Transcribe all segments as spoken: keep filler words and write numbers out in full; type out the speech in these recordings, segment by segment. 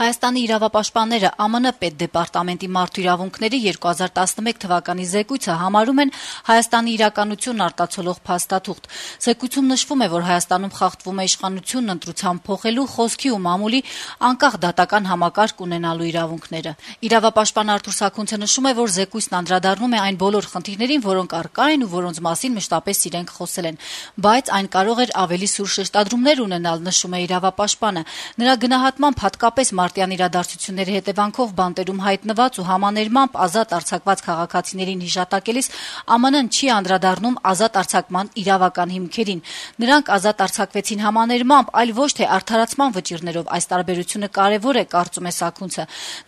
Հայաստանի իրավապաշտպանները Է Մ Ն պետդեպարտամենտի մարդու իրավունքների երկու հազար տասնմեկ թվականի զեկույցը համարում են Հայաստանի իրականությունն արտացոլող փաստաթուղթ։ Զեկույցում նշվում է, որ Հայաստանում խախտվում է իշխանությունն ընտրությամբ փոխելու, խոսքի ու մամուլի անկախ դատական համակարգ ունենալու իրավունքները։ Իրավապաշտպան Արթուր Սաքունցը նշում է, որ զեկույցն անդրադառնում է այն բոլոր խնդիրներին, որոնք առկա են ու որոնց մասին մշտապես իրենք խոսել են, բայց այն կարող էր ավելի սուր շեշտադրումներ ունենալ, նշում է իրավապաշտպանը։ Նրա գնահատմամբ հատկապես մարտյան իրադարձությունների հետևանքով բանտերում հայտնված ու համաներմամբ ազատ արձակված քաղաքացիներին հիշատակելիս Է Մ Ն չի անդրադառնում ազատ արձակման իրավական հիմքերին։ Նրանք ազատ արձակվեցին համաներմամբ, այլ ոչ թե արդարացման վճիռներով։ Այս տարբերությունը կարևոր է, կարծում է Սաքունցը։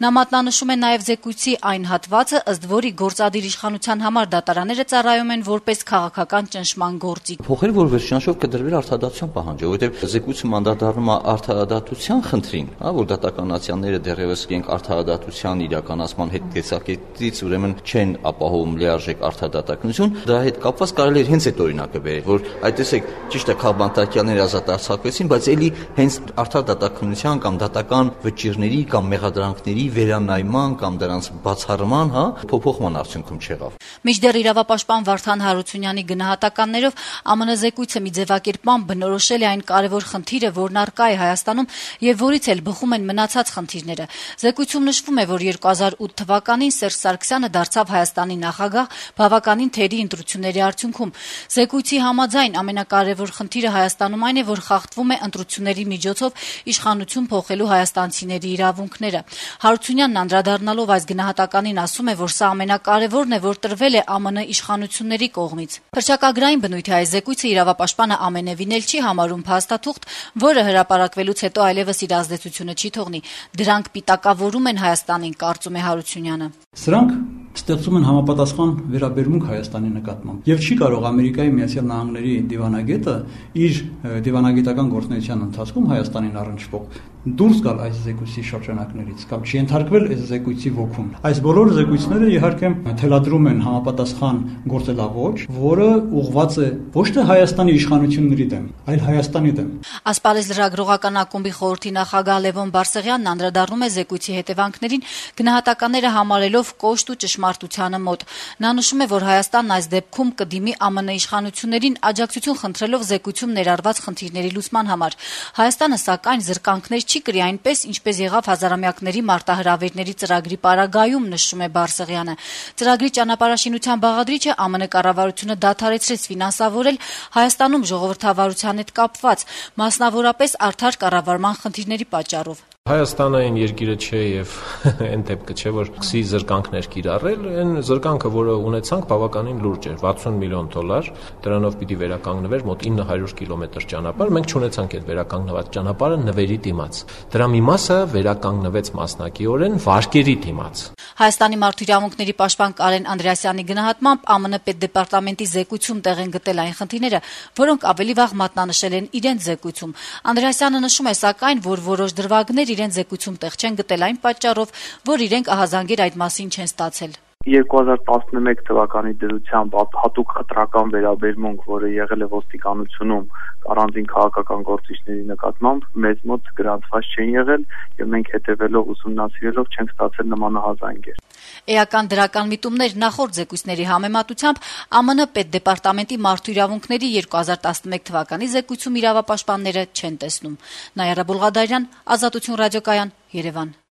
Նա մատնանշում է նաև զեկույցի այն հատվածը, ըստ որի գործադիր իշխանության համար դատարանները ծառայում են որպես քաղաքական ճնշման գործիք։ Փոխել, որ վերջնաշով կդրվեր արդարադատության պահանջը, որովհետև զեկույցը անդրադառնում է արդարադատության խնդրին, հա, որ դատականացիաները դեռևս իրենք արդարադատության իրականացման հետ տեսակետից ուրեմն չեն ապահովում լիարժեք արդարադատականություն, դրա հետ կապված կարելի է հենց այդ օրինակը բերել, որ այդ տեսեք, ճիշտ է, քաղբանտարկյալները ազատ արձակվեցին, բայց ելի հենց արդարադատականության կամ դատական վճիռների կամ մեղադրանքների վերանայման կամ դրանց բացառման, հա, փոփոխման արդյունքում չեղավ։ Մինչդեռ իրավապաշտպան Վարդան Հարությունյանի գնահատականներով Է Մ Ն զեկույցը մի ձևակերպման բնորոշել է այն կարևոր խնդիրը, որն առկա է Հայաստանում եւ որից էլ բխում են մնացած խնդիրները։ Զեկույցում նշվում է, որ երկու հազար ութ թվականին Սերժ Սարգսյանը դարձավ Հայաստանի նախագահ բավականին թերի ընտրությունների արդյունքում։ Զեկույցի համաձայն ամենակարևոր խնդիրը Հայաստանում այն է, որ խախտվում է ընտրությունների միջոցով իշխանություն փոխելու հայաստանցիների իրավունքները։ Հարությունյանն անդրադառնալով այս գնահատականին ասում է, որ սա ամենակարևորն է, որ տրվել է Է Մ Ն իշխանությունների կողմից։ Հռչակագրային բնույթի այս զեկույցը իրավապաշտպանը ամենևին էլ չի համարում փաստաթուղթ, որը հրապարակվելուց հետո այլևս իր ազդեցությունը չի թողնի։ Դրանք պիտակավորում են Հայաստանին, կարծում է Հարությունյանը։ Սրանք ստեղծում են համապատասխան վերաբերմունք Հայաստանի նկատմամբ եւ չի կարող Ամերիկայի Միացյալ Նահանգների դիվանագետը իր դիվանագիտական գործունեության ընթացքում Հայաստանին առնչվող դուրս գալ այս զեկույցի շրջանակներից կամ չի ենթարկվել այս զեկույցի ոգուն։ Այս բոլոր զեկույցները իհարկե թելադրում են համապատասխան գործելավոճ, որը ուղղված է ոչ թե Հայաստանի իշխանությունների դեմ, այլ Հայաստանի դեմ։ Ասպարեզ լրագրողական ակումբի խորհրդի նախագահ Լևոն Բարսեղյանն անդրադառնում է զեկույցի հետևանքներին, գնահատականները համարելով կոշտ ու ճշմարտությանը մոտ։ Նա նշում է, որ Հայաստանն այս դեպքում կդիմի Է Մ Ն իշխանություններին աջակցություն խնդրելով զեկույցում ներառված խնդիրների լուծման համար։ Հայաստանը, սակայն, զրկանքներ չի կրի այնպես, ինչպես եղավ հազարամյակների մարտահրավերների ծրագրի պարագայում, նշում է Բարսեղյանը։ Ծրագրի ճանապարհաշինության բաղադրիչը Է Մ Ն կառավարությունը դադարեցրեց ֆինանսավորել Հայաստանում ժողովրդավարության հետ կապված, մասնավորապես արդար կառավարման խնդիրների պատճառով։ Հայաստանը այն երկիրը չէ եւ այն դեպքը չէ, որ քսի զրկանքներ կիրառել, այն զրկանքը, որը ունեցանք, բավականին լուրջ էր, վաթսուն միլիոն դոլար, դրանով պիտի վերականգնվեր մոտ ինը հարյուր կիլոմետր ճանապարհ, մենք չունեցանք այդ վերականգնված ճանապարհը նվերի դիմաց։ Դրա մի մասը վերականգնվեց մասնակիորեն վարկերի դիմաց։ Հայաստանի մարդու իրավունքների պաշտպան Կարեն Անդրեասյանի գնահատմամբ Է Մ Ն պետդեպարտամենտի զեկույցում տեղ են գտել այն խնդիրները, որոնք ավելի վաղ մատնանշել են իրենց զեկույցում։ Անդրեասյանը նշում է, սակայն, որ որոշ դրվագներ իրենց զեկույցում տեղ չեն գտել այն պատճառով, որ իրենք ահազանգեր այդ մասին չեն ստացել։ երկու հազար տասնմեկ թվականի դրությամբ հատուկ խտրական վերաբերմունք, որը եղել է ոստիկանությունում առանձին քաղաքական գործիչների նկատմամբ, մեզ մոտ գրանցված չեն եղել եւ մենք հետեւելով ուսումնասիրելով չենք ստացել նմանահազանգեր։ Էական դրական միտումներ նախորդ զեկույցների համեմատությամբ Է Մ Ն պետդեպարտամենտի մարդու իրավունքների երկու հազար տասնմեկ թվականի զեկույցում իրավապաշտպանները չեն տեսնում։ Նայարա Բուլղադարյան, Ազատություն ռադիոկայան, Երևան։